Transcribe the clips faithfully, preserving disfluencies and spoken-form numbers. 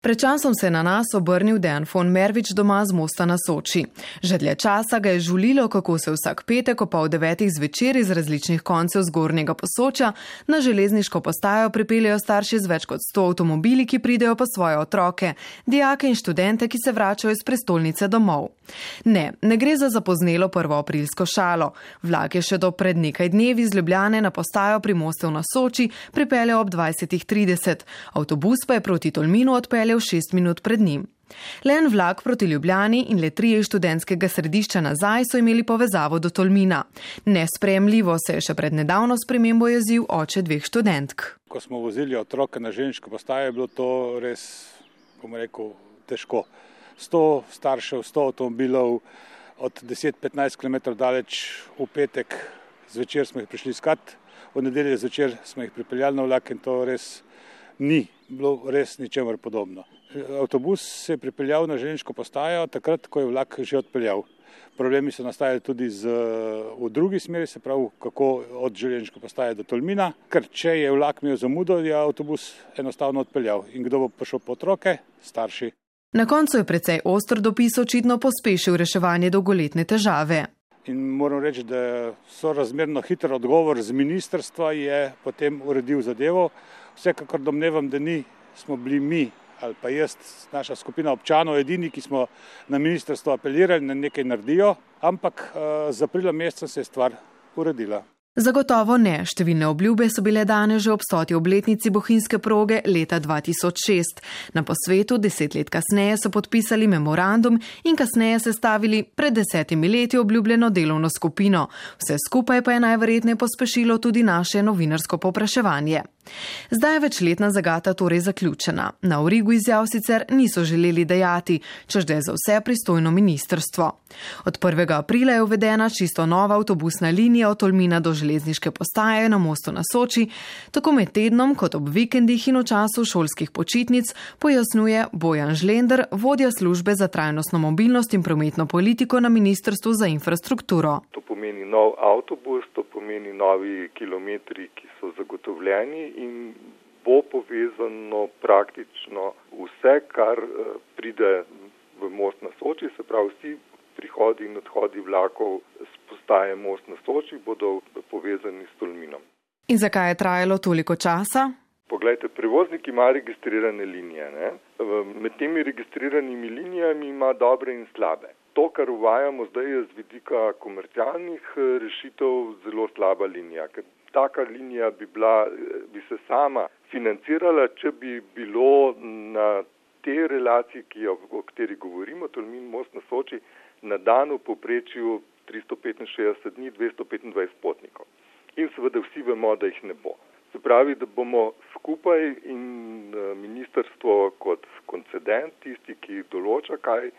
Pred časom se je na nas obrnil Dejan von Mervič doma z Mosta na Soči. Že dlje časa ga je žulilo, kako se vsak petek ob pol devetih zvečer iz različnih koncev zgornjega Posočja na železniško postajo pripeljejo starši z več kot sto avtomobili, ki pridejo po svoje otroke, dijake in študente, ki se vračajo iz prestolnice domov. Ne, ne gre za zapoznelo prvoaprilsko šalo. Vlak je še do pred nekaj dnevi iz Ljubljane na postajo pri Mostu na Soči pripeljal ob dvajsetih trideset. Avtobus pa je proti Tolminu odpeljal šest minut pred njim. Le en vlak proti Ljubljani in le trije študentskega središča nazaj so imeli povezavo do Tolmina. Nesprejemljivo se je še pred nedavno spremembo jezil oče dveh študentk. Ko smo vozili otroke na železniško postajo, je bilo to res, bomo rekel, težko. Sto staršev, sto avtomobilov, od deset do petnajst kilometrov daleč. V petek zvečer smo jih prišli iskat, v nedeljo zvečer smo jih pripeljali na vlak in to res ni bilo res ničemer podobno. Avtobus se je pripeljal na železniško postajo takrat, ko je vlak že odpeljal. Problemi so nastajali tudi z, v drugi smeri, se pravi, kako od železniške postaje do Tolmina, ker če je vlak imel zamudo, je avtobus enostavno odpeljal. In kdo bo prišel po otroke? Starši. Na koncu je precej oster dopis očitno pospešil reševanje dolgoletne težave. In moram reči, da so razmerno hiter odgovor z ministrstva je potem uredil zadevo. Vsekakor domnevam, da ni, smo bili mi ali pa jaz, naša skupina občanov, edini, ki smo na ministrstvo apelirali, da nekaj naredijo, ampak uh, z aprila meseca se je stvar uredila. Zagotovo ne. Številne obljube so bile dane že ob stoti obletnici bohinjske proge leta dva tisoč šest. Na posvetu deset let kasneje so podpisali memorandum in kasneje sestavili pred desetimi leti obljubljeno delovno skupino. Vse skupaj pa je najverjetneje pospešilo tudi naše novinarsko povpraševanje. Zdaj je večletna zagata torej zaključena. Na origu izjav sicer niso želeli dajati, čež da je za vse pristojno ministrstvo. Od prvega aprila je uvedena čisto nova avtobusna linija od Tolmina do železniške postaje na Mostu na Soči, tako med tednom kot ob vikendih in v času šolskih počitnic, pojasnjuje Bojan Žlender, vodja službe za trajnostno mobilnost in prometno politiko na Ministrstvu za infrastrukturo. To pomeni nov avtobus, to pomeni novi kilometri, ki so zagotovljeni in bo povezano praktično vse, kar pride v Most na Soči, se pravi vsi prihodi in odhodi vlakov z postaje Most na Soči bodo povezani s Tolminom. In zakaj je trajalo toliko časa? Poglejte, prevoznik ima registrirane linije. Ne? Med temi registriranimi linijami ima dobre in slabe. To, kar uvajamo zdaj, je z vidika komercialnih rešitev zelo slaba linija, ker taka linija bi, bila, bi se sama financirala, če bi bilo na te relaciji, ki jo, o kateri govorimo, Tolmin Most na Soči, na dan v povprečju tristo petinšestdeset dni, dvesto petindvajset potnikov. In seveda vsi vemo, da jih ne bo. Se pravi, da bomo skupaj in ministrstvo kot koncedent, tisti, ki določa, kaj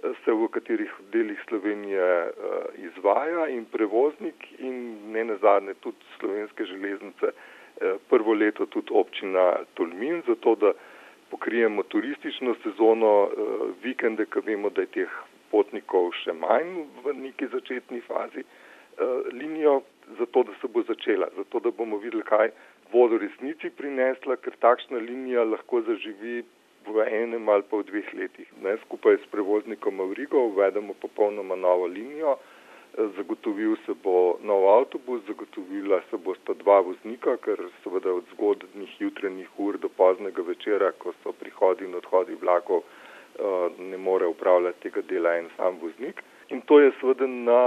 se v katerih delih Slovenije izvaja, in prevoznik in ne nazadnje tudi Slovenske železnice, prvo leto tudi občina Tolmin, zato da pokrijemo turistično sezono, vikende, ko vemo, da je teh potnikov še manj v neki začetni fazi, linijo, zato da se bo začela, zato da bomo videli, kaj bo v resnici prinesla, ker takšna linija lahko zaživi v enem ali pa v dveh letih. Ne, skupaj s prevoznikom Avrigo uvedemo popolnoma novo linijo, zagotovil se bo nov avtobus, zagotovila se bosta dva voznika, ker seveda od zgodnjih jutranjih ur do poznega večera, ko so prihodi in odhodi vlakov, ne more upravljati tega dela en sam voznik. In to je seveda na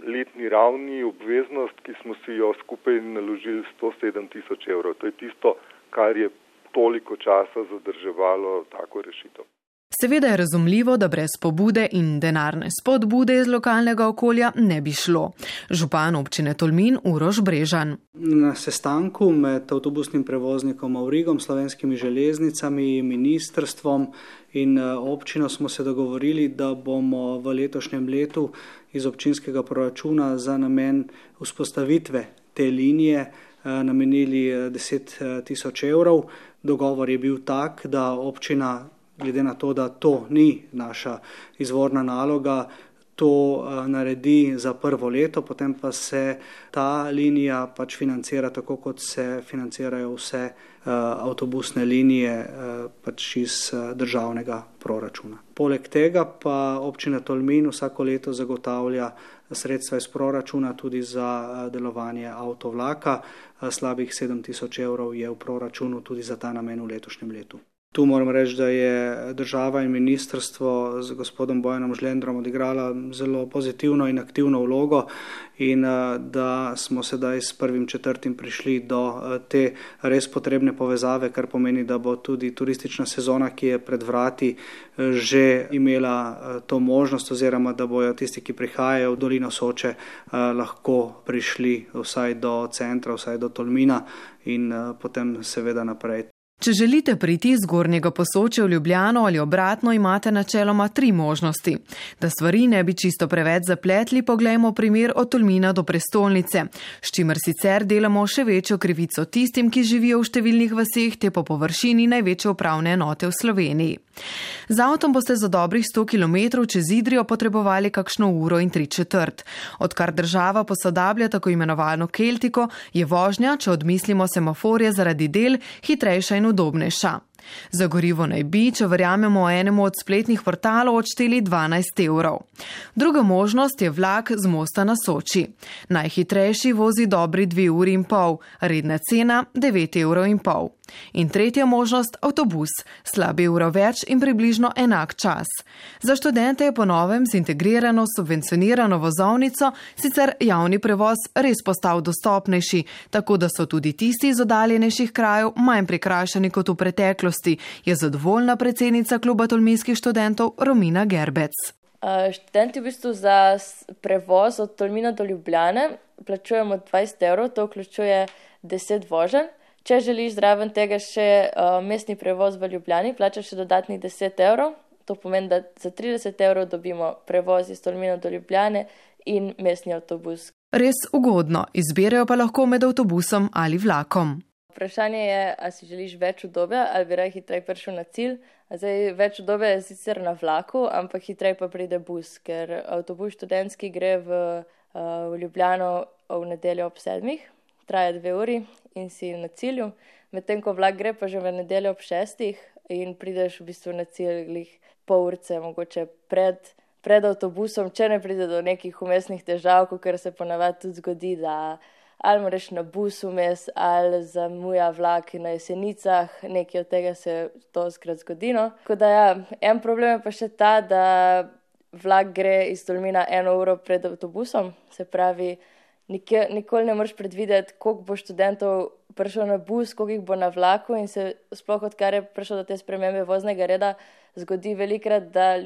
letni ravni obveznost, ki smo si jo skupaj naložili sto sedem tisoč evrov. To je tisto, kar je toliko časa zadrževalo tako rešitev. Seveda je razumljivo, da brez pobude in denarne spodbude iz lokalnega okolja ne bi šlo. Župan občine Tolmin Uroš Brežan. Na sestanku med avtobusnim prevoznikom Avrigom, Slovenskimi železnicami, ministrstvom in občino smo se dogovorili, da bomo v letošnjem letu iz občinskega proračuna za namen vzpostavitve te linije namenili deset tisoč evrov. Dogovor je bil tak, da občina, glede na to, da to ni naša izvorna naloga, to naredi za prvo leto, potem pa se ta linija pač financira tako, kot se financirajo vse avtobusne linije pač iz državnega proračuna. Poleg tega pa občina Tolmin vsako leto zagotavlja sredstva iz proračuna tudi za delovanje avtovlaka. Slabih sedem tisoč evrov je v proračunu tudi za ta namen v letošnjem letu. Tu moram reči, da je država in ministrstvo z gospodom Bojanom Žlendrom odigrala zelo pozitivno in aktivno vlogo in da smo sedaj s prvim četrtim prišli do te res potrebne povezave, kar pomeni, da bo tudi turistična sezona, ki je pred vrati, že imela to možnost oziroma da bojo tisti, ki prihajajo v dolino Soče, lahko prišli vsaj do centra, vsaj do Tolmina in potem seveda naprej. Če želite priti iz Zgornjega Posočja v Ljubljano ali obratno, imate načeloma tri možnosti. Da stvari ne bi čisto preveč zapletli, poglejmo primer od Tolmina do prestolnice, s čimer sicer delamo še večjo krivico tistim, ki živijo v številnih vaseh te po površini največje upravne enote v Sloveniji. Z avtom boste za dobrih sto kilometrov čez Idrijo potrebovali kakšno uro in tri četrt. Odkar država posodablja tako imenovano keltiko, je vožnja, če odmislimo semaforje zaradi del, hitrejša in udobnejša. Za gorivo naj bi, če verjamemo enemu od spletnih portalov, odšteli dvanajst evrov. Druga možnost je vlak z mosta na Soči. Najhitrejši vozi dobri dve uri in pol, redna cena devet evrov in pol. In tretja možnost, avtobus, slabi uro več in približno enak čas. Za študente je po novem z integrirano subvencionirano vozovnico sicer javni prevoz res postal dostopnejši, tako da so tudi tisti iz oddaljenejših krajev manj prikrajšani kot v preteklosti, je zadovoljna predsednica kluba tolminskih študentov Romina Gerbec. Študenti v bistvu za prevoz od Tolmina do Ljubljane plačujemo dvajset evrov, to vključuje deset voženj. Če želiš zraven tega še uh, mestni prevoz v Ljubljani, plačaš še dodatnih deset evrov. To pomeni, da za trideset evrov dobimo prevoz iz Tolmina do Ljubljane in mestni avtobus. Res ugodno, izberejo pa lahko med avtobusom ali vlakom. Vprašanje je, ali si želiš več udobja ali bi raje hitreje prišel na cilj. Zdaj, več udobja je sicer na vlaku, ampak hitreje pa pride bus, ker avtobus študentski gre v, uh, v Ljubljano v nedeljo ob sedmih, traja dve uri in si na cilju, medtem ko vlak gre pa že v nedeljo ob šestih in prideš v bistvu na cilj glih pol urce, mogoče pred, pred avtobusom, če ne pride do nekih umestnih težav, ker se ponavadi tudi zgodi, da ali moraš na bus vmes, ali zamuja vlak na Jesenicah, nekaj od tega se to skrat zgodi. No. Tako da ja, en problem je pa še ta, da vlak gre iz Tolmina eno uro pred avtobusom, se pravi, nikoli ne moreš predvideti, koliko bo študentov prišel na bus, koliko jih bo na vlaku in se sploh odkar je prišel do te spremembe voznega reda, zgodi velikrat, da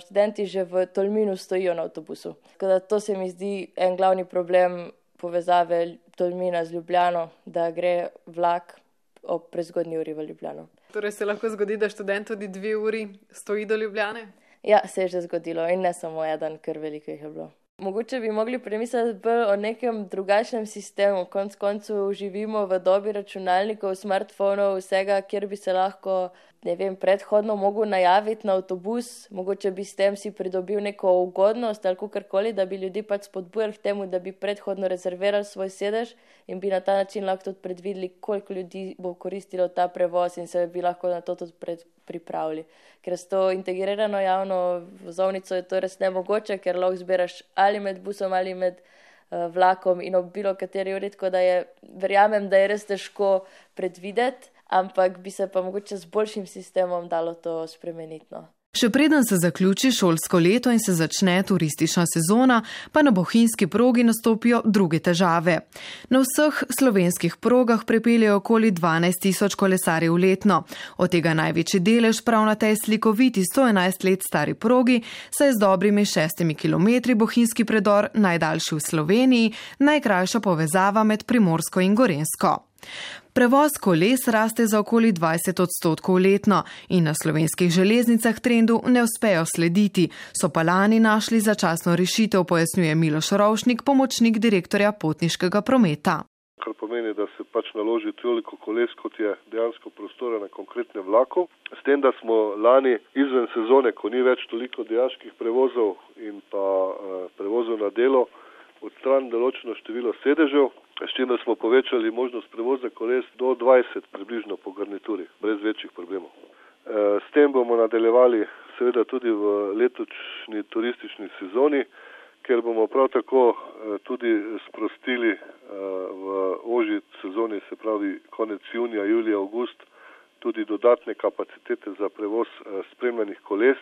študenti že v Tolminu stojijo na avtobusu. Tako da to se mi zdi en glavni problem povezave Tolmina z Ljubljano, da gre vlak ob prezgodnji uri v Ljubljano. Torej se lahko zgodi, da študent tudi dve uri stoji do Ljubljane? Ja, se je že zgodilo in ne samo eden, ker veliko jih je bilo. Mogoče bi mogli premisliti bolj o nekem drugačnem sistemu. Konec koncev živimo v dobi računalnikov, smartfonov, vsega, kjer bi se lahko, ne vem, predhodno mogel najaviti na avtobus, mogoče bi s tem si pridobil neko ugodnost ali kakorkoli, da bi ljudi pač spodbujali k temu, da bi predhodno rezervirali svoj sedež in bi na ta način lahko tudi predvideli, koliko ljudi bo koristilo ta prevoz in se bi lahko na to tudi pred, pripravili. Ker s to integrirano javno vozovnico je to res nemogoče, ker lahko zbiraš ali med busom ali med uh, vlakom in ob bilo kateri uri, tako da je, verjamem, da je res težko predvideti, ampak bi se pa mogoče z boljšim sistemom dalo to spremeniti. No. Še preden se zaključi šolsko leto in se začne turistična sezona, pa na bohinjski progi nastopijo druge težave. Na vseh slovenskih progah prepeljejo okoli dvanajst tisoč kolesarjev letno. Od tega največji delež prav na tej slikoviti sto enajst let stari progi, saj z dobrimi šestimi kilometri bohinjski predor najdaljši v Sloveniji, najkrajša povezava med Primorsko in Gorenjsko. Prevoz koles raste za okoli dvajset odstotkov letno in na slovenskih železnicah trendu ne uspejo slediti, so pa lani našli začasno rešitev, pojasnjuje Miloš Rovšnik, pomočnik direktorja potniškega prometa. kar pomeni, da se pač naloži toliko koles, kot je dejansko prostora na konkretnem vlaku. S tem, da smo lani izven sezone, ko ni več toliko dijaških prevozov in pa uh, prevozov na delo, odstranili določeno število sedežev, s čimer smo povečali možnost prevoza koles do dvajset približno po garnituri, brez večjih problemov. S tem bomo nadaljevali seveda tudi v letošnji turistični sezoni, ker bomo prav tako tudi sprostili v ožji sezoni, se pravi konec junija, julija, avgust, tudi dodatne kapacitete za prevoz spremljenih koles.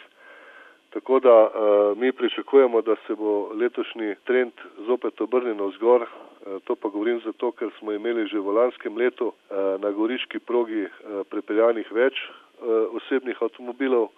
Tako da mi pričakujemo, da se bo letošnji trend zopet obrnil navzgor. To pa govorim zato, ker smo imeli že v lanskem letu na goriški progi prepeljanih več osebnih avtomobilov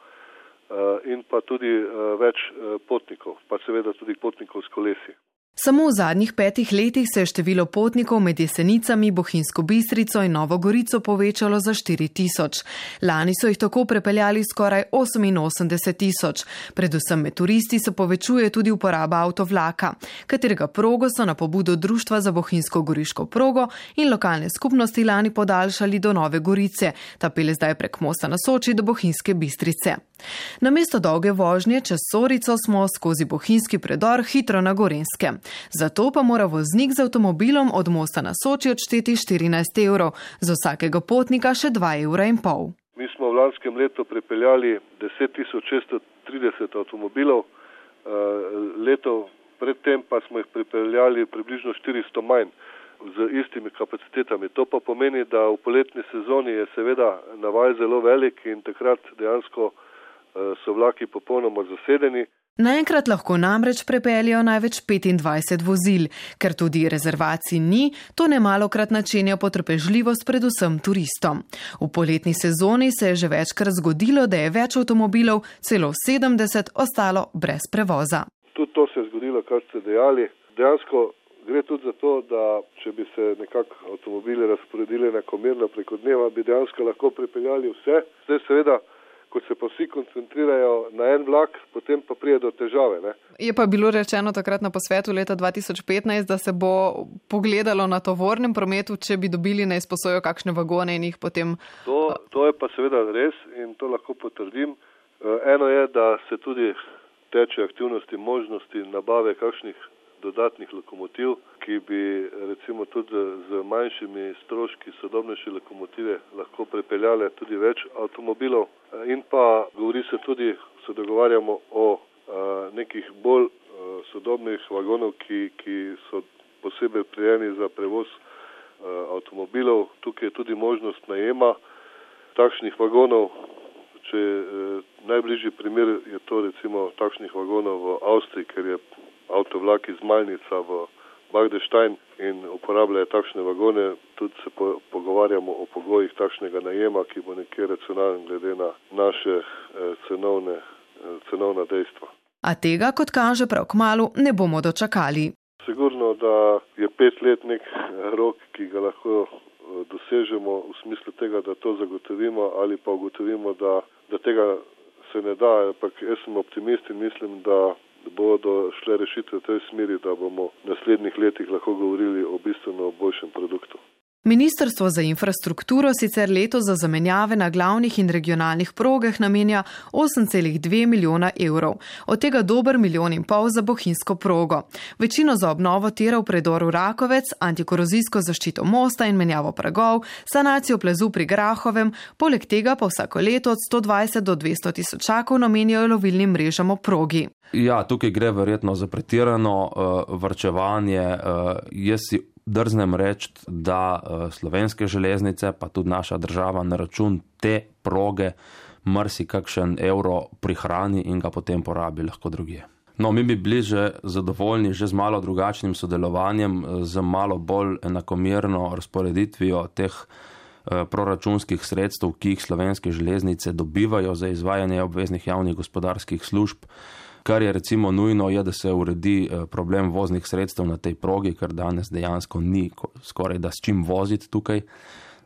in pa tudi več potnikov, pa seveda tudi potnikov s kolesi. Samo v zadnjih petih letih se je število potnikov med Jesenicami, Bohinjsko Bistrico in Novo Gorico povečalo za štiri tisoč. Lani so jih tako prepeljali skoraj oseminosemdeset tisoč. Predvsem med turisti se povečuje tudi uporaba avtovlaka, katerega progo so na pobudo Društva za Bohinjsko-Goriško progo in lokalne skupnosti lani podaljšali do Nove Gorice, ta pelje zdaj prek mosta na Soči do Bohinjske Bistrice. Namesto dolge vožnje čez Sorico smo skozi Bohinjski predor hitro na Gorenjske. Zato pa mora voznik z avtomobilom od mosta na Soči odšteti štirinajst evrov, za vsakega potnika še dva evra in pol. Mi smo v lanskem letu prepeljali deset tisoč šeststo trideset avtomobilov, leto predtem pa smo jih prepeljali približno štiristo manj z istimi kapacitetami. To pa pomeni, da v poletni sezoni je seveda navaj zelo velik in takrat dejansko so vlaki popolnoma zasedeni. Naenkrat lahko namreč prepeljajo največ petindvajset vozil, ker tudi rezervacij ni, to nemalokrat načenja potrpežljivost predvsem turistom. V poletni sezoni se je že večkrat zgodilo, da je več avtomobilov, celo sedemdeset, ostalo brez prevoza. Tudi to se je zgodilo, kar ste dejali. Dejansko gre tudi za to, da če bi se nekako avtomobili razporedili enakomerno preko dneva, bi dejansko lahko prepeljali vse. Zdaj seveda, ko se pa vsi koncentrirajo na en vlak, potem pa prije do težave. Ne? Je pa bilo rečeno takrat na posvetu leta dva tisoč petnajst, da se bo pogledalo na tovornem prometu, če bi dobili na izposojo kakšne vagone in jih potem... To, to je pa seveda res in to lahko potrdim. Eno je, da se tudi teče aktivnosti možnosti nabave kakšnih dodatnih lokomotiv, ki bi recimo tudi z manjšimi stroški sodobnejše lokomotive lahko prepeljale tudi več avtomobilov. In pa govori se tudi, se dogovarjamo o a, nekih bolj a, sodobnih vagonov, ki, ki so posebej prijeni za prevoz a, avtomobilov. Tukaj je tudi možnost najema takšnih vagonov. Če a, najbližji primer je to recimo takšnih vagonov v Avstriji, ker je avtovlak iz Malnica v Bagdeštajn in uporabljajo takšne vagone. Tudi se po, pogovarjamo o pogojih takšnega najema, ki bo nekje racionalen glede na naše eh, cenovne, eh, cenovna dejstva. A tega, kot kaže prav kmalu, ne bomo dočakali. Sigurno, da je pet let nek rok, ki ga lahko dosežemo v smislu tega, da to zagotovimo ali pa ugotovimo, da, da tega se ne da. Ampak jaz sem optimist in mislim, da bodo šle rešitve v tej smeri, da bomo v naslednjih letih lahko govorili o bistveno boljšem produktu. Ministrstvo za infrastrukturo sicer letos za zamenjave na glavnih in regionalnih progah namenja osem celih dve milijona evrov, od tega dober milijon in pol za bohinjsko progo. Večino za obnovo tira v predoru Rakovec, antikorozijsko zaščito mosta in menjavo pragov, sanacijo plazu pri Grahovem, poleg tega pa vsako leto od sto dvajset do dvesto tisočakov namenjajo lovilnim mrežam o progi. Ja, tukaj gre verjetno za pretirano uh, varčevanje. Uh, jaz si drznem reči, da uh, slovenske železnice, pa tudi naša država na račun te proge marsi kakšen evro prihrani in ga potem porabi lahko drugje. No, mi bi bili že zadovoljni že z malo drugačnim sodelovanjem, z malo bolj enakomerno razporeditvijo teh uh, proračunskih sredstev, ki jih slovenske železnice dobivajo za izvajanje obveznih javnih gospodarskih služb. Kar je recimo nujno, je, da se uredi problem voznih sredstev na tej progi, ker danes dejansko ni skoraj da s čim voziti tukaj,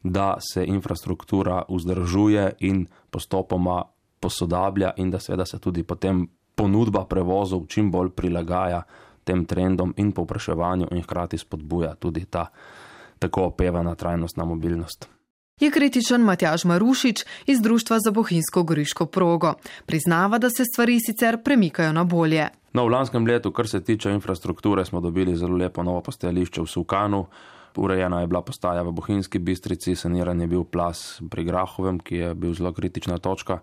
da se infrastruktura vzdržuje in postopoma posodablja in da seveda se tudi potem ponudba prevozov čim bolj prilagaja tem trendom in povpraševanju in hkrati spodbuja tudi ta tako opevana trajnostna mobilnost. Je kritičen Matjaž Marušič iz Društva za bohinjsko goriško progo. Priznava, da se stvari sicer premikajo na bolje. No, v lanskem letu, kar se tiče infrastrukture, smo dobili zelo lepo novo postajališče v Suvkanu. Urejena je bila postaja v Bohinjski Bistrici, saniran je bil plaz pri Grahovem, ki je bil zelo kritična točka.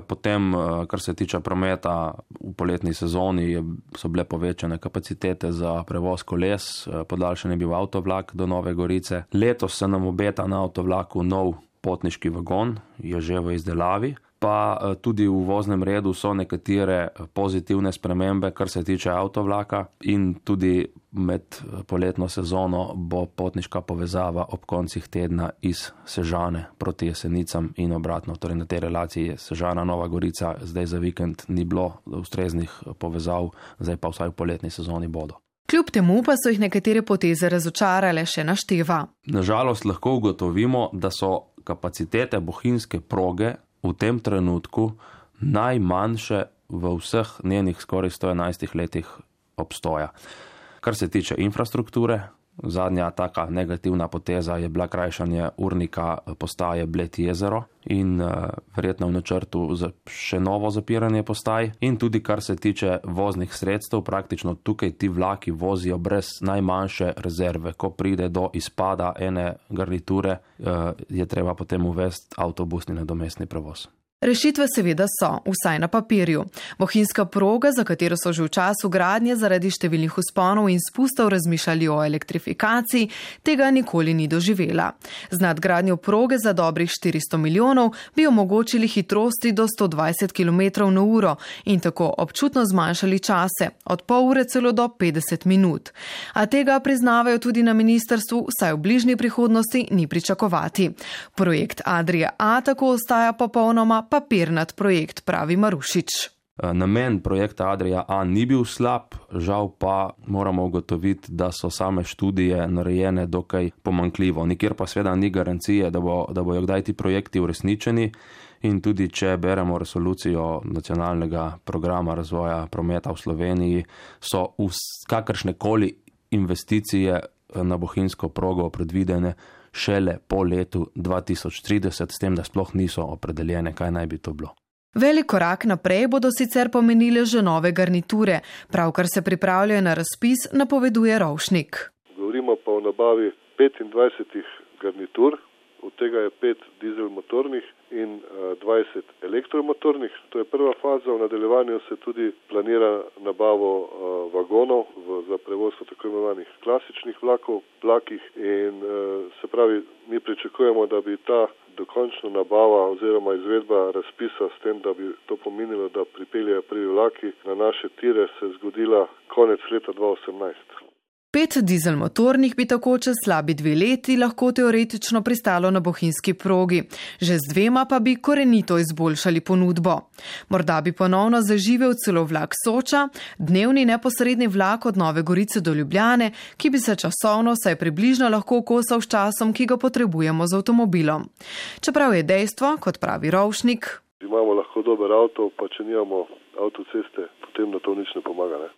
Potem, kar se tiče prometa, v poletni sezoni so bile povečane kapacitete za prevoz koles, podaljšan je bil avtovlak do Nove Gorice. Letos se nam obeta na avtovlaku nov potniški vagon, je že v izdelavi. Pa tudi v voznem redu so nekatere pozitivne spremembe, kar se tiče avtovlaka, in tudi med poletno sezono bo potniška povezava ob koncih tedna iz Sežane proti Jesenicam in obratno. Torej na tej relaciji Sežana Nova Gorica zdaj za vikend ni bilo ustreznih povezav, zdaj pa vsaj v poletni sezoni bodo. Kljub temu pa so jih nekatere poteze razočarale, še našteva. Nažalost lahko ugotovimo, da so kapacitete bohinjske proge v tem trenutku najmanjše v vseh njenih skoraj sto enajstih letih obstoja. Kar se tiče infrastrukture, zadnja taka negativna poteza je bila krajšanje urnika postaje Bled jezero in uh, verjetno v načrtu za še novo zapiranje postaj. In tudi kar se tiče voznih sredstev, praktično tukaj ti vlaki vozijo brez najmanjše rezerve. Ko pride do izpada ene garniture, uh, je treba potem uvesti avtobusni nadomestni prevoz. Rešitve seveda so, vsaj na papirju. Bohinjska proga, za katero so že v času gradnje zaradi številnih vzponov in spustov razmišljali o elektrifikaciji, tega nikoli ni doživela. Z nadgradnjo proge za dobrih štiristo milijonov bi omogočili hitrosti do sto dvajset kilometrov na uro in tako občutno zmanjšali čase, od pol ure celo do petdeset minut. A tega priznavajo tudi na ministrstvu, saj v bližnji prihodnosti ni pričakovati. Projekt Adria A tako ostaja popolnoma papirnat projekt, pravi Marušič. Namen projekta Adria A ni bil slab, žal pa moramo ugotoviti, da so same študije narejene dokaj pomanjkljivo. Nikjer pa seveda ni garancije, da, bo, da bojo kdaj ti projekti uresničeni, in tudi če beremo resolucijo nacionalnega programa razvoja prometa v Sloveniji, so kakršnekoli investicije na bohinjsko progo predvidene šele po letu dva tisoč trideset, s tem, da sploh niso opredeljene, kaj naj bi to bilo. Velik korak naprej bodo sicer pomenile že nove garniture, pravkar se pripravljajo na razpis, napoveduje Rovšnik. Govorimo pa o nabavi petindvajsetih garnitur, od tega je pet dizelmotornih in dvajset elektromotornih. To je prva faza, v nadaljevanju se tudi planira nabavo vagonov za prevoz v tako imenovanih klasičnih vlakov, vlakih in se pravi, mi pričakujemo, da bi ta dokončna nabava oziroma izvedba razpisa s tem, da bi to pomenilo, da pripeljejo prvi vlaki na naše tire, se zgodila konec leta dva tisoč osemnajst. Pet dizelmotornih bi tako čez slabi dve leti lahko teoretično pristalo na bohinjski progi. Že z dvema pa bi korenito izboljšali ponudbo. Morda bi ponovno zaživel celo vlak Soča, dnevni neposredni vlak od Nove Gorice do Ljubljane, ki bi se časovno saj približno lahko kosal s časom, ki ga potrebujemo z avtomobilom. Čeprav je dejstvo, kot pravi Rovšnik, imamo lahko dober avto, pa če nimamo avtoceste, potem na to nič ne pomaga, ne?